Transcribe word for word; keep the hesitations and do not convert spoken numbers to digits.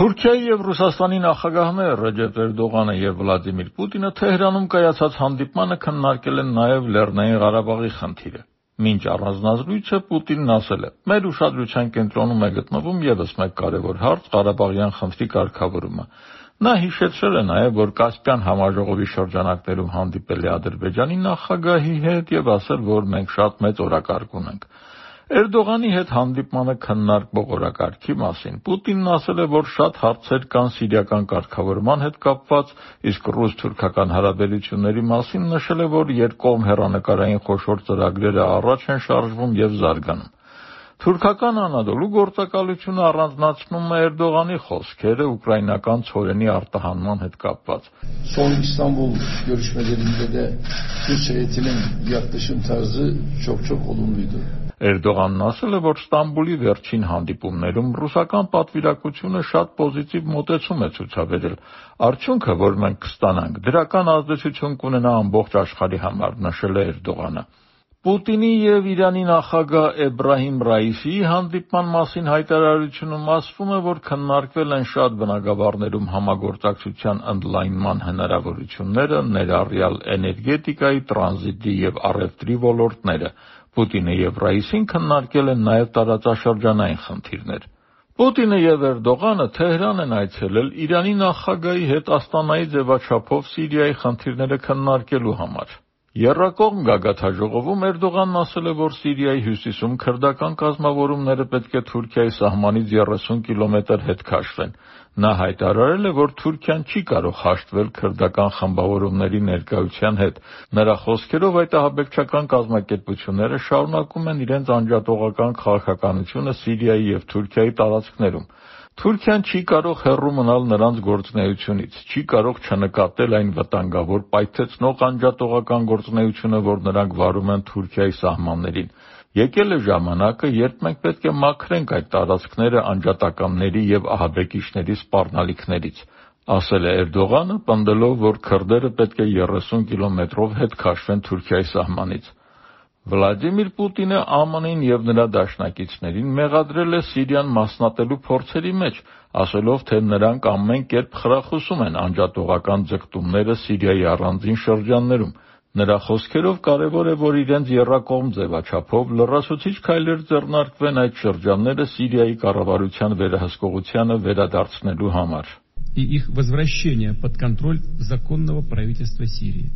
Թուրքիայի եւ Ռուսաստանի նախագահները Ռեջեփ Էրդողանը եւ Վլադիմիր Պուտինը Թեհրանում կայացած հանդիպմանը քննարկել են նաեւ Լեռնային Ղարաբաղի խնդիրը։ Մինչ առանձնազրույցը Պուտինն ասել է. «Մեր ուշադրության կենտրոնում է գտնվում եւս մեկ կարեւոր հարց՝ Ղարաբաղյան խնդրի կարգավորումը»։ Նա հիշեցրել է նաեւ, որ Կասպյան համաժողովի շրջանակներում հանդիպել է Ադրբեջանի նախագահի հետ եւ ասել, որ մենք շատ մեծ օրակարգ ունենք։ Էրդողանի հետ հանդիպմանը քննարկվող օրակարգի մասին Պուտինն ասել է, որ շատ հարցեր կան սիրիական կարգավորման հետ կապված, իսկ ռուս-թուրքական հարաբերությունների մասին նշել է, որ երկկողմ հեռանկարային խոշոր ծրագրերը առաջ են շարժվում եւ զարգանում։ Թուրքական Անադոլու գործակալությունը առանձնացնում է Էրդողանի խոսքերը ուկրաինական ցորենի արտահանման հետ կապված։ Son İstanbul görüşmelerinde de Türk heyetinin yaklaşım tarzı çok çok olumluydu. Էրդողանն ասել է, որ Ստամբուլի վերջին հանդիպումներում ռուսական պատվիրակությունը շատ պոզիտիվ մոտեցում է ցուցաբերել։ Արդյունքը, որ մենք կստանանք, դրական ազդեցություն կունենա ամբողջ աշխարհի համար, նշել է Էրդողանը։ Պուտինի եւ Իրանի նախագահ Էբրահիմ Ռայիսիի հանդիպման մասին հայտարարությունում ասվում է, որ քննարկվել են շատ բնագավառներում համագործակցության ընդլայնման հնարավորությունները, ներառյալ էներգետիկայի, տրանզիտի եւ առևտրի ոլորտները։ Պուտինը եւ Ռայիսին քննարկել են նաեւ տարածաշրջանային խնդիրներ։ Պուտինը եւ Էրդողանը Թեհրան են այցելել Իրանի նախագահի հետ Աստանայի ձևաչափով Սիրիայի խնդիրները քննարկելու համար։ Եռակողմ գագաթնաժողովում Էրդողանն ասել է, որ Սիրիայի հյուսիսում քրդական կազմավորումները պետք է Թուրքիայի սահմանից երեսուն կիլոմետր հետ քաշվեն։ Նա հայտարարել է, որ Թուրքիան չի կարող հաշտվել քրդական խմբավորումների ներկայության հետ։ Նրա խոսքերով այդ ահաբեկչական կազմակերպությունները շարունակում են իրենց անջատողական քաղաքականությունը Սիրիայի եւ Թուրքիայի տարածքներում։ Թուրքիան չի կարող հեռու մնալ նրանց գործունեությունից, չի կարող չնկատել այն վտանգավոր պայթեցնող անջատողական գործունեությունը, որ նրանք վարում են Թուրքիայի սահմաններին։ Եկել է ժամանակը, երբ մենք պետք է մաքրենք այդ տարածքները անջատականների եւ ահաբեկիչների սպառնալիքներից, ասել է Էրդողանը, պնդելով, որ քրդերը պետք է երեսուն կիլոմետրով հետ քաշվեն Թուրքիայի սահմանից։ Վլադիմիր Պուտինը ԱՄՆ-ին եւ նրա դաշնակիցներին մեղադրել է Սիրիան մասնատելու փորձերի մեջ, ասելով, թե նրանք ամեն կերպ խրախուսում են անջատողական ձգտումները Սիրիայի առանձին շրջաններում։ Նրա խոսքերով կարևոր է, որ իրենց եռակողմ ձևաչափով լրացուցիչ քայլեր ձեռնարկվեն այդ շրջանները Սիրիայի կառավարության վերահսկողությանը վերադարձնելու համար։ И их возвращение под контроль законного правительства Сирии.